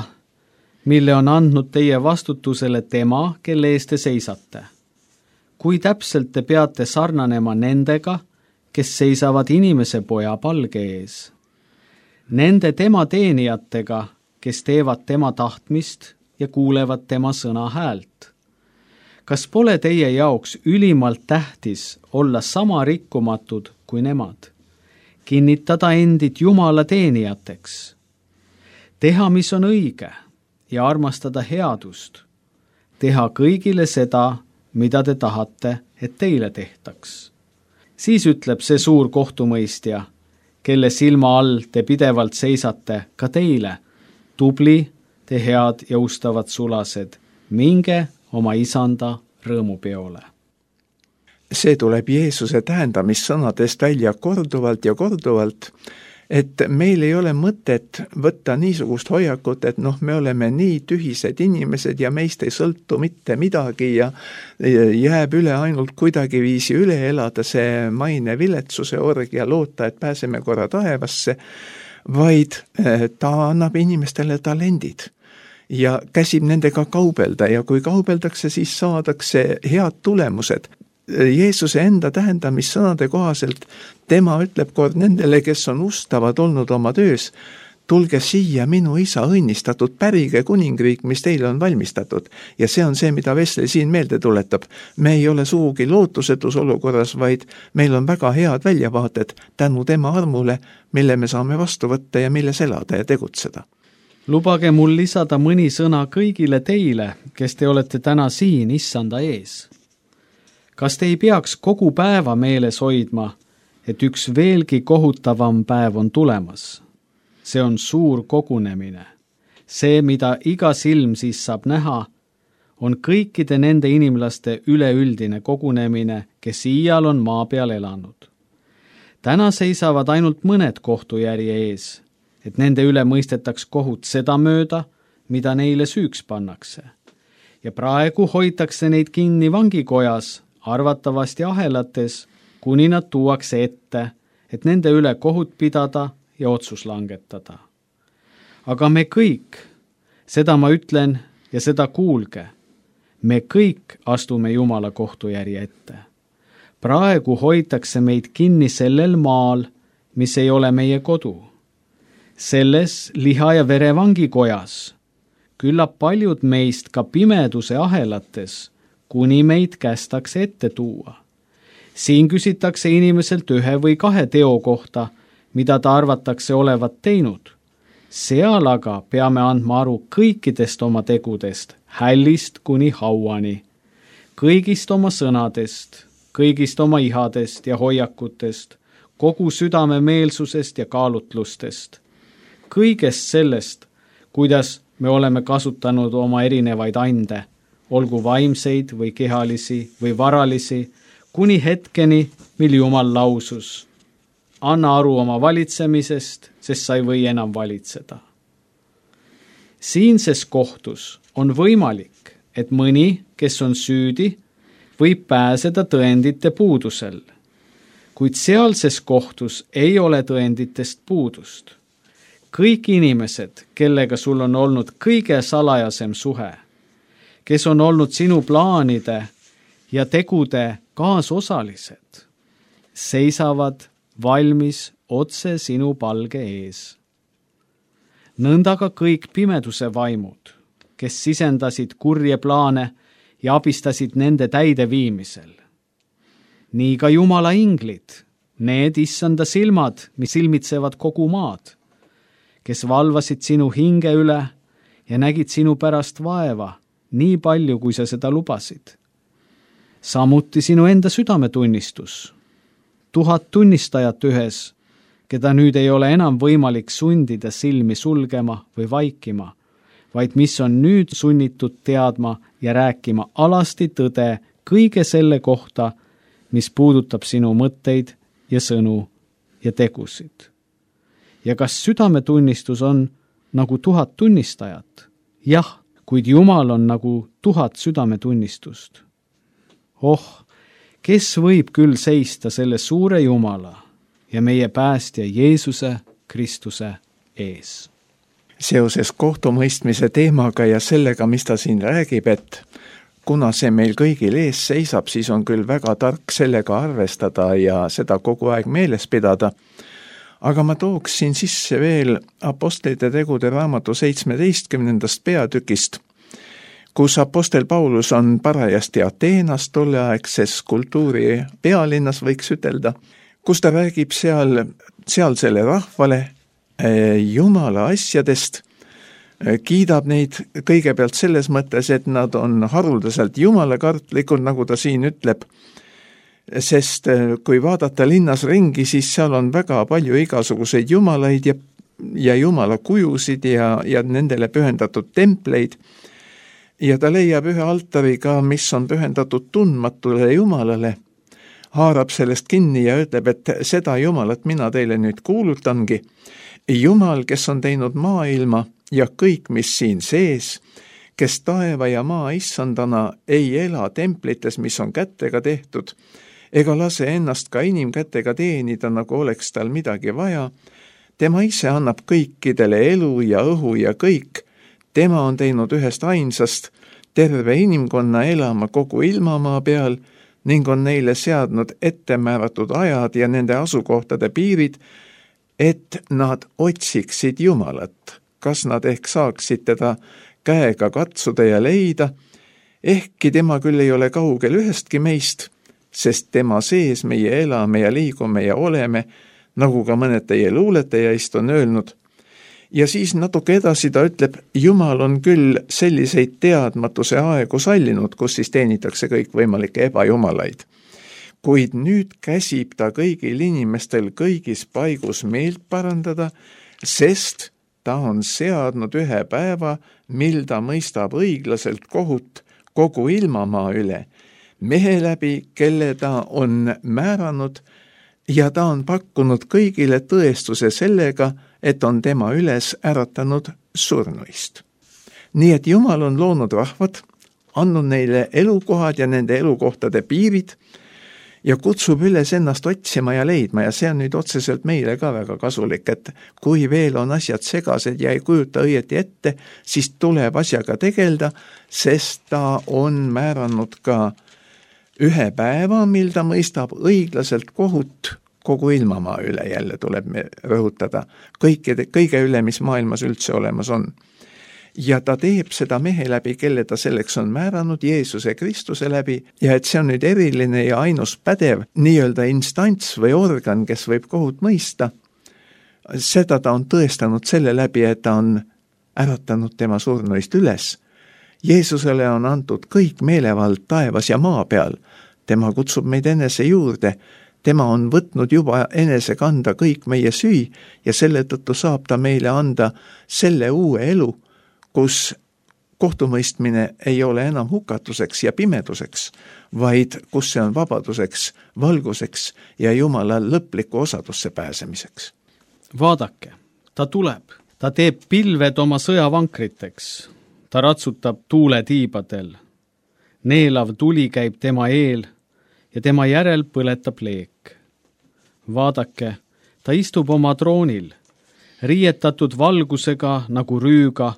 mille on andnud teie vastutusele tema, kelle eest te seisate. Kui täpselt te peate sarnanema nendega, kes seisavad inimese poja palge ees. Nende tema teenijatega, kes teevad tema tahtmist ja kuulevad tema sõna häält. Kas pole teie jaoks ülimalt tähtis olla sama rikkumatud kui nemad? Kinnitada endid Jumala teenijateks. Teha, mis on õige ja armastada headust. Teha kõigile seda, mida te tahate, et teile tehtaks. Siis ütleb see suur kohtumõistja, kelle silma all te pidevalt seisate, ka teile. Tubli, te head ja ustavad sulased, minge oma isanda rõõmupeole. See tuleb Jeesuse tähendamissõnadest välja korduvalt ja korduvalt, et meil ei ole mõtet võtta niisugust hoiakut, et me oleme nii tühised inimesed ja meist ei sõltu mitte midagi ja jääb üle ainult kuidagiviisi üle elada see maine viletsuse org ja loota, et pääseme korra taevasse, vaid ta annab inimestele talendid ja käsib nendega kaubelda ja kui kaubeldakse, siis saadakse head tulemused. Jeesuse enda tähendamissõnade kohaselt tema ütleb kord nendele, kes on ustavad olnud oma töös, tulge siia minu isa õnnistatud, pärige kuningriik, mis teile on valmistatud. Ja see on see, mida Wesley siin meelde tuletab. Me ei ole sugugi lootusetus olukorras, vaid meil on väga head väljavaated tänu tema armule, mille me saame vastu võtta ja milles elada ja tegutseda. Lubage mul lisada mõni sõna kõigile teile, kes te olete täna siin issanda ees. Kas te ei peaks kogu päeva meeles hoidma, et üks veelgi kohutavam päev on tulemas? See on suur kogunemine. See, mida iga silm siis saab näha, on kõikide nende inimlaste üleüldine kogunemine, kes iial on maa peal elanud. Täna seisavad ainult mõned kohtujärje ees, et nende üle mõistetaks kohut seda mööda, mida neile süüks pannakse. Ja praegu hoitakse neid kinni vangikojas, arvatavasti ahelates, kuni nad tuuakse ette, et nende üle kohut pidada ja otsus langetada. Aga me kõik, seda ma ütlen ja seda kuulge, me kõik astume Jumala kohtujärje ette. Praegu hoitakse meid kinni sellel maal, mis ei ole meie kodu. Selles liha ja vere vangikojas, küllap paljud meist ka pimeduse ahelates, kuni meid kästakse ette tuua. Siin küsitakse inimeselt 1 või 2 teo kohta, mida ta arvatakse olevat teinud. Seal aga peame andma aru kõikidest oma tegudest, hällist kuni hauani, kõigist oma sõnadest, kõigist oma ihadest ja hoiakutest, kogu südame meelsusest ja kaalutlustest. Kõigest sellest, kuidas me oleme kasutanud oma erinevaid ande, olgu vaimseid või kehalisi või varalisi, kuni hetkeni, mil Jumal lausus. Anna aru oma valitsemisest, sest sa ei või enam valitseda. Siinses kohtus on võimalik, et mõni, kes on süüdi, võib pääseda tõendite puudusel. kuid sealses kohtus ei ole tõenditest puudust. Kõik inimesed, kellega sul on olnud kõige salajasem suhe, kes on olnud sinu plaanide ja tegude kaasosalised, seisavad valmis otse sinu palge ees. Nõnda ka kõik pimeduse vaimud, kes sisendasid kurje plaane ja abistasid nende täideviimisel. Nii ka Jumala inglid, need issanda silmad, mis silmitsevad kogu maad, kes valvasid sinu hinge üle ja nägid sinu pärast vaeva, nii palju, kui sa seda lubasid. Samuti sinu enda südametunnistus, 1000 tunnistajat ühes, keda nüüd ei ole enam võimalik sundida silmi sulgema või vaikima, vaid mis on nüüd sunnitud teadma ja rääkima alasti tõde kõige selle kohta, mis puudutab sinu mõtteid ja sõnu ja tegusid. Ja kas südametunnistus on nagu 1000 tunnistajat? Jah, kuid Jumal on nagu 1000 südametunnistust. Kes võib küll seista selle suure Jumala ja meie päästja Jeesuse Kristuse ees? Seoses kohtumõistmise teemaga ja sellega, mis ta siin räägib, et kuna see meil kõigil ees seisab, siis on küll väga tark sellega arvestada ja seda kogu aeg meeles pidada. Aga ma tooksin sisse veel Apostlite tegude raamatu 17. peatükist, kus apostel Paulus on parajasti Ateenas, tolleaegses kultuuri pealinnas, võiks ütelda, kus ta räägib sealsele rahvale Jumala asjadest, kiidab neid kõigepealt selles mõttes, et nad on haruldaselt jumalakartlikud, nagu ta siin ütleb, sest kui vaadata linnas ringi, siis seal on väga palju igasuguseid jumalaid ja jumala kujusid ja nendele pühendatud templeid. Ja ta leiab ühe altari ka, mis on pühendatud tundmatule Jumalale, haarab sellest kinni ja ütleb, et seda Jumalat mina teile nüüd kuulutangi. Jumal, kes on teinud maailma ja kõik, mis siin sees, kes taeva ja maa issandana ei ela templites, mis on kätega tehtud, ega lase ennast ka inimkätega teenida, nagu oleks tal midagi vaja. Tema ise annab kõikidele elu ja õhu ja kõik. Tema on teinud ühest ainsast terve inimkonna elama kogu ilmamaa peal ning on neile seadnud ettemääratud ajad ja nende asukohtade piirid, et nad otsiksid Jumalat, kas nad ehk saaksid teda käega katsuda ja leida, ehkki tema küll ei ole kaugel ühestki meist, sest tema sees meie elame ja liigume ja oleme, nagu ka mõned teie luuletajaist on öelnud. Ja siis natuke edasi ta ütleb, Jumal on küll selliseid teadmatuse aegu sallinud, kus siis teenitakse kõik võimalikke ebajumalaid. Kuid nüüd käsib ta kõigil inimestel kõigis paigus meelt parandada, sest ta on seadnud ühe päeva, mil ta mõistab õiglaselt kohut kogu ilmamaa üle, mehe läbi, kelle ta on määranud, ja ta on pakkunud kõigile tõestuse sellega, et on tema üles äratanud surnuist. Nii et Jumal on loonud rahvad, andnud neile elukohad ja nende elukohtade piirid ja kutsub üles ennast otsima ja leidma, ja see on nüüd otseselt meile ka väga kasulik, et kui veel on asjad segased ja ei kujuta õieti ette, siis tuleb asjaga tegelda, sest ta on määranud ka ühe päeva, mil ta mõistab õiglaselt kohut kogu ilmamaa üle, jälle tuleb me rõhutada, kõige üle, mis maailmas üldse olemas on. Ja ta teeb seda mehe läbi, kelle ta selleks on määranud, Jeesuse Kristuse läbi, ja et see on nüüd eriline ja ainus pädev nii-öelda instants või organ, kes võib kohut mõista. Seda ta on tõestanud selle läbi, et ta on äratanud tema surnuist üles. Jeesusele on antud kõik meelevald taevas ja maa peal. Tema kutsub meid enese juurde. Tema on võtnud juba enese kanda kõik meie süü ja selle tõttu saab ta meile anda selle uue elu, kus kohtumõistmine ei ole enam hukatuseks ja pimeduseks, vaid kus see on vabaduseks, valguseks ja Jumala lõpliku osadusse pääsemiseks. Vaadake, ta tuleb, ta teeb pilved oma sõjavankriteks, ta ratsutab tuule tiibadel, neelav tuli käib tema eel ja tema järel põletab leek. vaadake, ta istub oma troonil, riietatud valgusega nagu rüüga,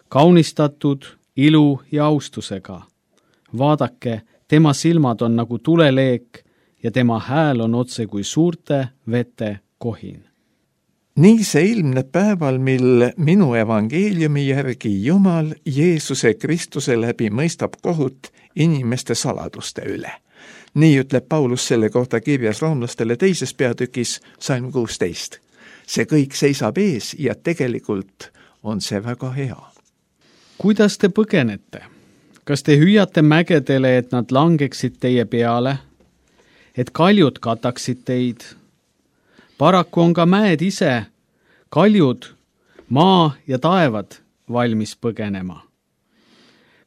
kaunistatud ilu ja austusega. vaadake, tema silmad on nagu tuleleek ja tema hääl on otse kui suurte vete kohin. nii see ilmneb päeval, mil minu evangeeliumi järgi Jumal Jeesuse Kristuse läbi mõistab kohut inimeste saladuste üle. nii ütleb Paulus selle kohta kirjas roomlastele 2. peatükis salm 16. see kõik seisab ees ja tegelikult on see väga hea. kuidas te põgenete? kas te hüüate mägedele, et nad langeksid teie peale, et kaljud kataksid teid? paraku on ka mäed ise, kaljud, maa ja taevad valmis põgenema.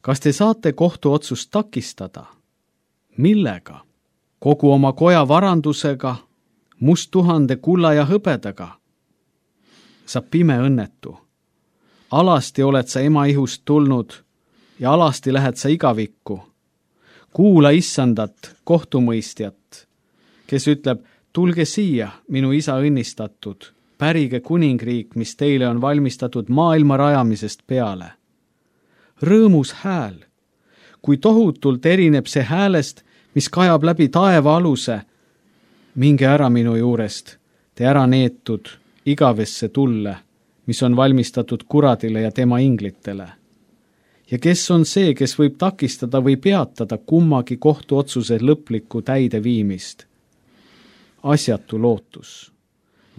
kas te saate kohtuotsust takistada? millega? kogu oma koja varandusega, musttuhande kulla ja hõbedaga? sa pime õnnetu. alasti oled sa ema ihust tulnud ja alasti lähed sa igavikku. kuula issandat, kohtumõistjat, kes ütleb, tulge siia, minu isa õnnistatud, pärige kuningriik, mis teile on valmistatud maailma rajamisest peale. rõõmus hääl, kui tohutult erineb see häälest, mis kajab läbi taeva aluse. minge ära minu juurest, te ära neetud igavesse tulle, mis on valmistatud kuradile ja tema inglitele. ja kes on see, kes võib takistada või peatada kummagi kohtuotsuse lõplikku täideviimist? asjatu lootus.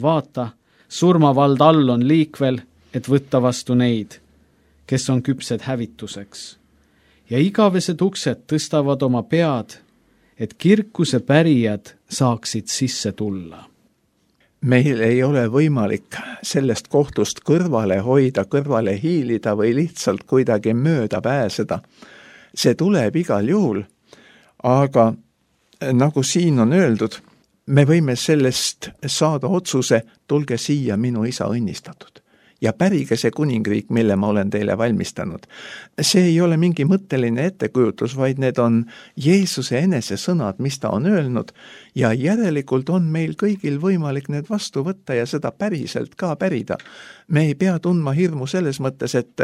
vaata, surmavald all on liikvel, et võtta vastu neid, kes on küpsed hävituseks. ja igavesed uksed tõstavad oma pead, et kirkuse pärijad saaksid sisse tulla. meil ei ole võimalik sellest kohtust kõrvale hoida, kõrvale hiilida või lihtsalt kuidagi mööda pääseda. see tuleb igal juhul, aga nagu siin on öeldud, me võime sellest saada otsuse, tulge siia, minu isa õnnistatud. ja pärige see kuningriik, mille ma olen teile valmistanud. see ei ole mingi mõtteline ettekujutus, vaid need on Jeesuse enese sõnad, mis ta on öelnud, ja järelikult on meil kõigil võimalik need vastu võtta ja seda päriselt ka pärida. me ei pea tundma hirmu selles mõttes, et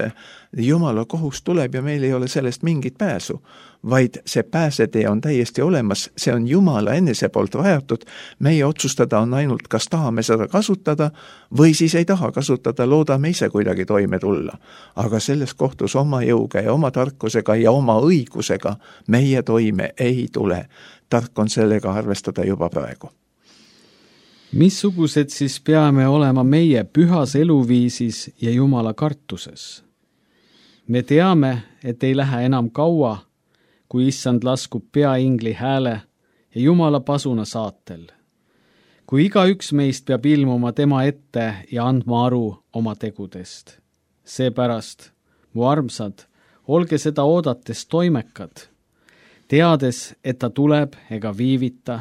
Jumala kohus tuleb ja meil ei ole sellest mingit pääsu, vaid see pääsetee on täiesti olemas, see on Jumala enese poolt rajatud, meie otsustada on ainult, kas tahame seda kasutada või siis ei taha kasutada, loodame ise kuidagi toime tulla. aga selles kohtus oma jõuga ja oma tarkusega ja oma õigusega meie toime ei tule. tark on sellega arvestada juba praegu. missugused siis peame olema meie pühas eluviisis ja Jumala kartuses? me teame, et ei lähe enam kaua, kui issand laskub peaingli hääle ja Jumala pasuna saatel. kui igaüks meist peab ilmuma tema ette ja andma aru oma tegudest. seepärast, mu armsad, olge seda oodates toimekad, teades, et ta tuleb ega viivita,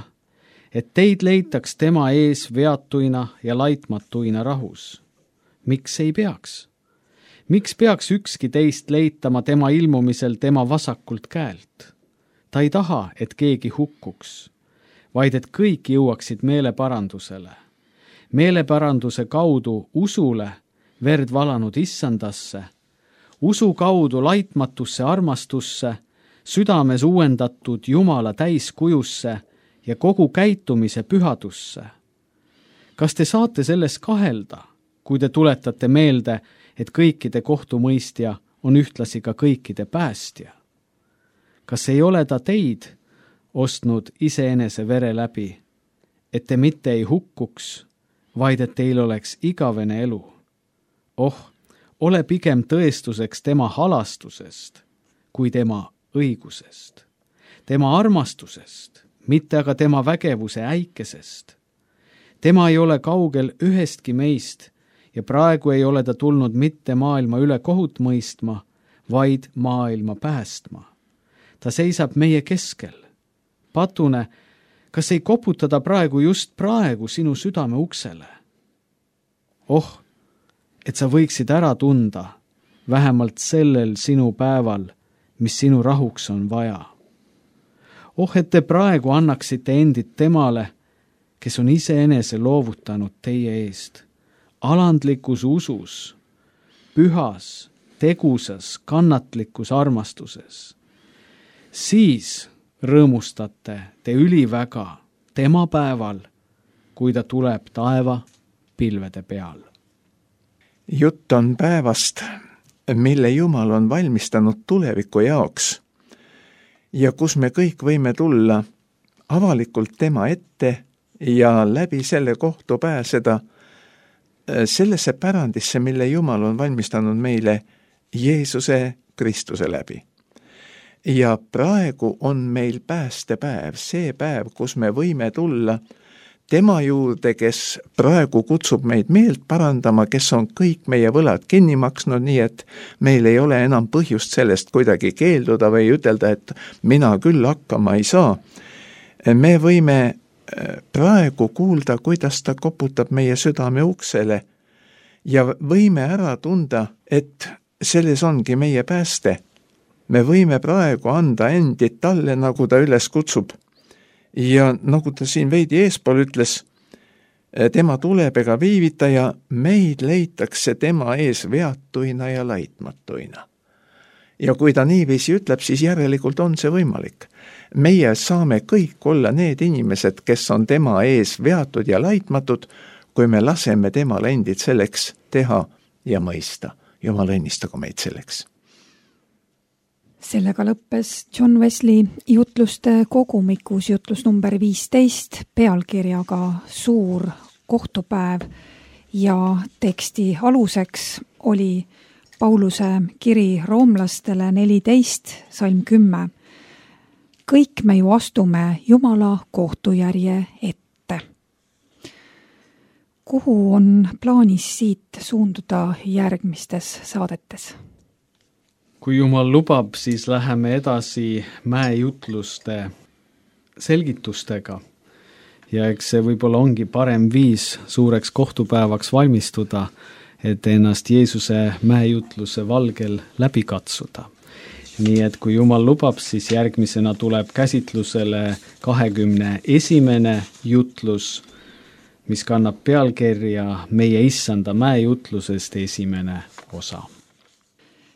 et teid leitaks tema ees veatuina ja laitmatuina rahus. miks ei peaks? miks peaks ükski teist leitama tema ilmumisel tema vasakult käelt? ta ei taha, et keegi hukkuks, vaid et kõik jõuaksid meeleparandusele. meeleparanduse kaudu usule, verd valanud issandasse, usu kaudu laitmatusse armastusse, südames uuendatud Jumala täiskujusse ja kogu käitumise pühadusse. kas te saate selles kahelda, kui te tuletate meelde, et kõikide kohtumõistja on ühtlasi ka kõikide päästja? kas ei ole ta teid ostnud iseenese vere läbi, et te mitte ei hukkuks, vaid et teil oleks igavene elu? ole pigem tõestuseks tema halastusest kui tema õigusest, tema armastusest, mitte aga tema vägevuse äikesest. tema ei ole kaugel ühestki meist ja praegu ei ole ta tulnud mitte maailma üle kohut mõistma, vaid maailma päästma. ta seisab meie keskel. Patune, kas ei koputa ta just praegu sinu südame uksele? et sa võiksid ära tunda, vähemalt sellel sinu päeval, mis sinu rahuks on vaja. et te praegu annaksite endid temale kes on iseenese loovutanud teie eest, alandlikus usus, pühas, tegusas, kannatlikus armastuses. Siis rõõmustate te üliväga tema päeval, kui ta tuleb taeva pilvede peal. Jutt on päevast, mille Jumal on valmistanud tuleviku jaoks ja kus me kõik võime tulla avalikult tema ette ja läbi selle kohtu pääseda sellesse pärandisse, mille Jumal on valmistanud meile Jeesuse Kristuse läbi. Ja praegu on meil päästepäev, see päev, kus me võime tulla tema juurde, kes praegu kutsub meid meelt parandama, kes on kõik meie võlad kinni maksnud, nii et meil ei ole enam põhjust sellest kuidagi keelduda või ütelda, et mina küll hakkama ei saa. Me võime praegu kuulda, kuidas ta koputab meie südame uksele ja võime ära tunda, et selles ongi meie pääste. Me võime praegu anda endid talle, nagu ta üles kutsub. Ja nagu ta siin veidi eespool ütles, tema tuleb ega viivita ja meid leitakse tema ees veatuina ja laitmatuina. Ja kui ta niiviisi ütleb, siis järelikult on see võimalik. Meie saame kõik olla need inimesed, kes on tema ees veatud ja laitmatud, kui me laseme temal endid selleks teha ja mõista. Jumal õnnistagu meid selleks. Sellega lõppes John Wesley jutluste kogumikus jutlus number 15 pealkirjaga Suur kohtupäev ja teksti aluseks oli Pauluse kiri roomlastele 14, salm 10. Kõik me ju astume Jumala kohtujärje ette. Kuhu on plaanis siit suunduda järgmistes saadetes? Kui Jumal lubab, siis läheme edasi mäejutluste selgitustega. Ja eks see võib-olla ongi parem viis suureks kohtupäevaks valmistuda, et ennast Jeesuse mäejutluse valgel läbi katsuda. Nii et kui Jumal lubab, siis järgmisena tuleb käsitlusele 21. jutlus, mis kannab pealkirja Meie Issanda mäejutlusest esimene osa.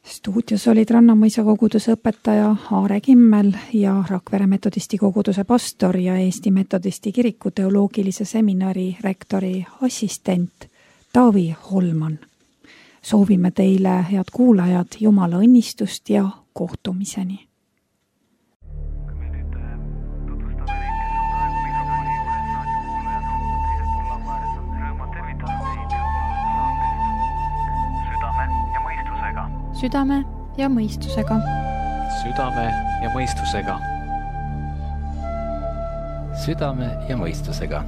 Stuudios olid Rannamõisa koguduse õpetaja Aare Kimmel ja Rakvere metodisti koguduse pastor ja Eesti metodisti kiriku teoloogilise seminari rektori assistent Taavi Holman. Soovime teile, head kuulajad, Jumala õnnistust ja kohtumiseni. Südame ja mõistusega. Südame ja mõistusega. Südame ja mõistusega.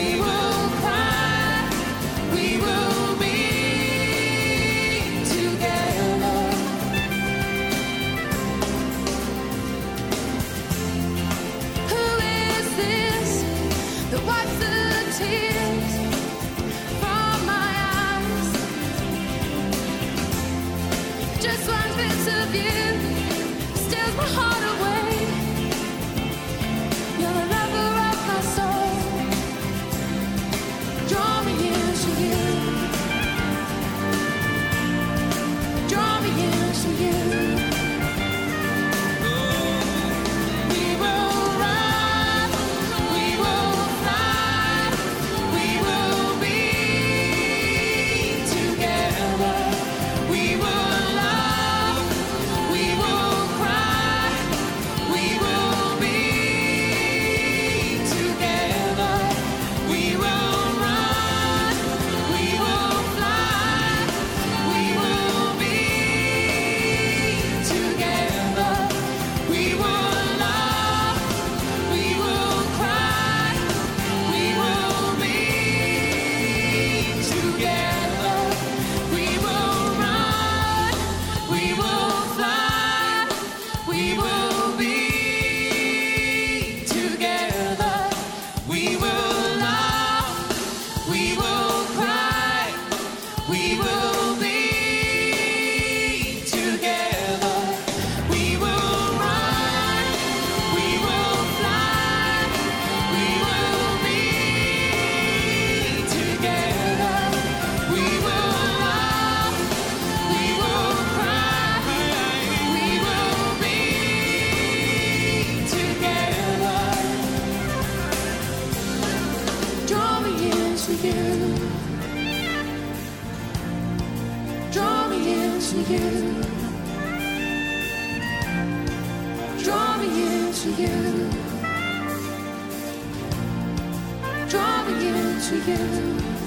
We will tears from my eyes. Just one glimpse of you steals my heart away. You're the lover of my soul. Draw me into you. Draw me into you. Draw me into you.